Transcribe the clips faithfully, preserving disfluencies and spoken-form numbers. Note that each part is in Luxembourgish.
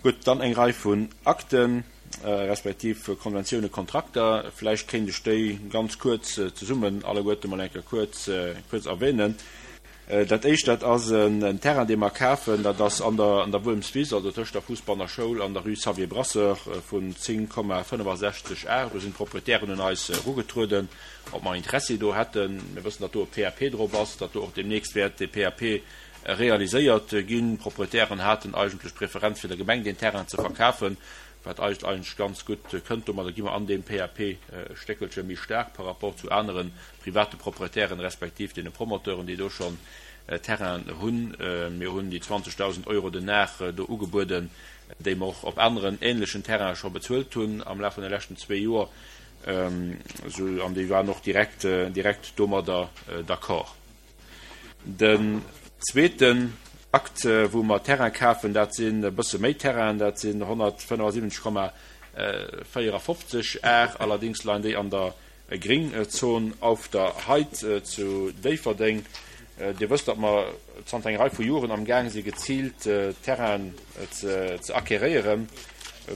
Gutt, dann eng Rei vun Akten, respektiv Konventiounen, Kontrakter. Vläicht kéint ech déi ganz kuerz zesummen alleguerte mol eng Kéier kuerz, kuerz erwähnen. Dat éischt, dat ass en Terrain, dee mer kafen. Dat ass an der, an der Wuermswiss, also tëscht der Fuussbanner Schoul an der Rue Xavier Brasseur, vun zéng Komma fënnefasechzeg Ar. Do sinn d'Proprietären un eis erugetrueden, ob mer Interessi do hätten. Mir wëssen, datt do e P A P drop ass, datt do och deemnächst wäert dee P A P realiséiert ginn. D'Proprietären haten eigentlech d'Preferenz, fir der Gemeng deen Terrain ze verkafen, wat eis eigentlech ganz gutt kënnt. Domadder gi mer an deem P A P e Stéckelche méi staark par rapport zu anere private Proprietären, respektiv deene Promoteuren, déi do schonn Terrainen hunn. Mir hunn déi zwanzegdausend Euro den Ar do ugebueden, déi mer och op aneren änlechen Terraine scho bezuelt hunn am Laf vun de leschten zwee Joer, an déi waren och direkt direkt domadder d'accord. Den zweeten Akt, wou mer Terrain kafen, dat sinn e bësse méi Terrainen, dat sinn honnertfënnefasiwwenzeg Komma véierafofzeg Ar, allerdéngs leien déi an der Gringzon Auf der Heid zu Déifferdeng. Dir wësst, datt mer zanter enger Rei vu Joren am Gaang si geziilt Terrainen ze acquéréieren,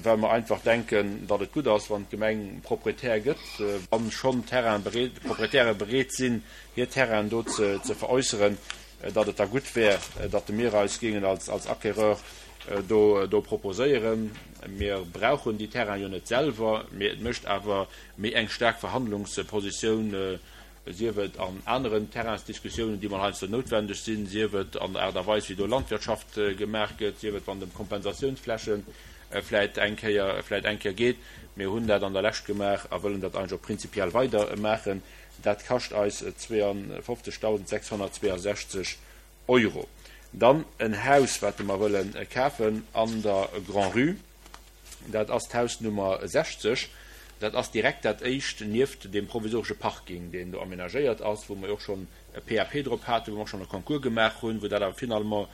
well mer einfach denken, datt et gutt ass, wann d'Gemeng Proprietär gëtt, wa schonn Proprietäre bereet sinn, hir Terrainen do ze veräusseren, datt et da gutt wär, datt mir eis géingen als Acquéreur do proposéieren. Mir brauchen déi Terrainen jo net selwer, mee et mécht awer méi eng staark Verhandlungspositioun, sief et an aneren Terrainsdiskussiounen, déi mol heiansdo noutwendeg sinn, sief et an der Aart a Weis, wéi do Landwirtschaft gemaach gëtt, sief et wann et ëm Kompensatiounsfläche vläit eng Kéier, vläit eng Kéier geet. Mir hunn dat an der Lescht gemaach a wëllen dat eigentlech och prinzipiell weider maachen. Dat kascht eis zweeënfofzegdausendsechshonnertzweeënsechzeg Euro. Dann en Haus, wat mer wëlle kafen an der Grand-Rue. Dat ass d'Haus Nummer sechzeg. Dat ass direkt dat éischt nieft deem provisoresche Parking, deen do amenagéiert ass, wou mer jo och schonn e P A P drop haten, wou mer och schonn e Concours gemaach hunn, wou dat awer finalement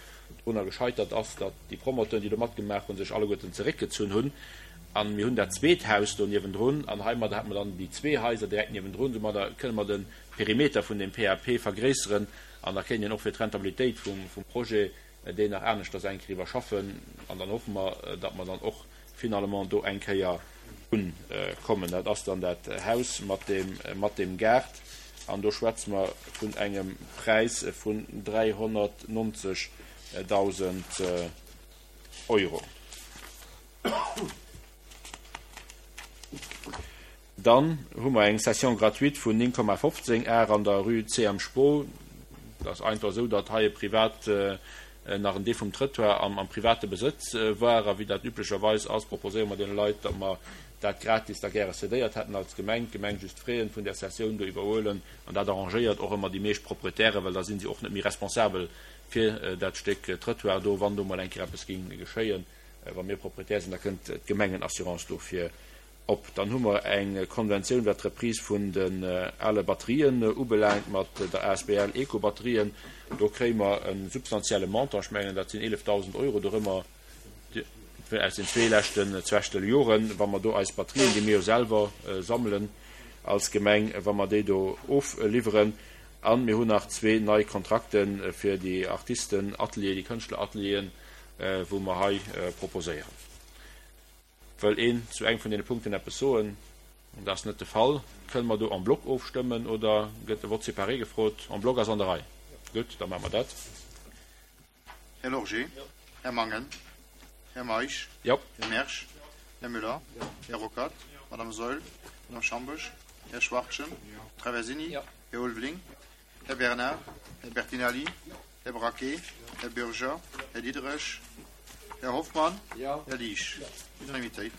drunner gescheitert ass, datt déi Promoteuren, déi do matgemaach hunn, sech alleguerten zeréckgezunn hunn. A mir hunn dat zweet Haus do niewendrun an heimadder hätte mer dann déi zwee Haiser direkt niewendrun. Soumadder kënne mer de Perimeter vun deem P A P vergréisseren an da kéint een och fir d'Rentabilitéit vum Projet deen nach aneschters eng Kéier iwwerschaffen. An dann hoffe mer, datt mer dann och finalement do eng Kéier unkommen. Dat ass dann dat Haus mat deem, mat deem Gaart an do schwätze mer vun engem Präis vun dräihonnertnonzegdausend Euro. Dann hu mer eng Cession gratuite vun néng Komma fofzéng Ar an der Rue C M Spoo. Dat ass einfach esou, datt hei e Privat nach en Deel vum Trëttoir am am private Besëtz war. A wéi dat üblecherweis ass, proposéiere mer deene Leit, datt mer dat gratis da gäre cédéiert hätten als Gemeng, d'Gemeng just d'Fraie vun där Cessioun do iwwerhuelen. An dat arrangéiert och ëmmer déi meescht Proprietären, well da si si och net méi responsabel fir dat Stéck Trëttoir do, wann do mol eng Kéier eppes géing geschéien. Wa mir Proprietär sinn, da kënnt d'Gemengenassurance dofir op. Dann hu mer eng Konventioun, wat d'Reprise vun den ale Batterien ubelaangt, mat der A S B L Eco-Batterien. Do kréie mer e substantielle Montant, ech mengen, dat sinn eelefdausend Euro dorëmmer, aus den zwee leschten Zwechtel Joren, wa mer do eis Batterien, déi mir jo selwer sammelen als Gemeng, wa mer déi do ofliwweren. A mir hunn nach zwee nei Kontrakte fir déi Artistenatelier, déi Kënschtleratelieren, wou mer hei proposéieren. Wëll een zu engem vun deene Punkten eppes soen? Dat ass net de Fall. Kënne mer do en bloc ofstëmmen oder gëtt e Vote séparé gefrot? En bloc ass an der Rei. Gutt, da maache mer dat. Här Lorgé. Här Mangen. Här Meisch. Jo. Här Mersch. Här Müller. Här Ruckert. Madame Saeul. Madame Schambourg. Här Schwachtgen. Traversini. Här Ulveling. Här Bernard. Här Bertinelli. Här Braquet. Här Bürger. Här Diderich. Här Hoffmann. Här Liesch. Unanimitéit.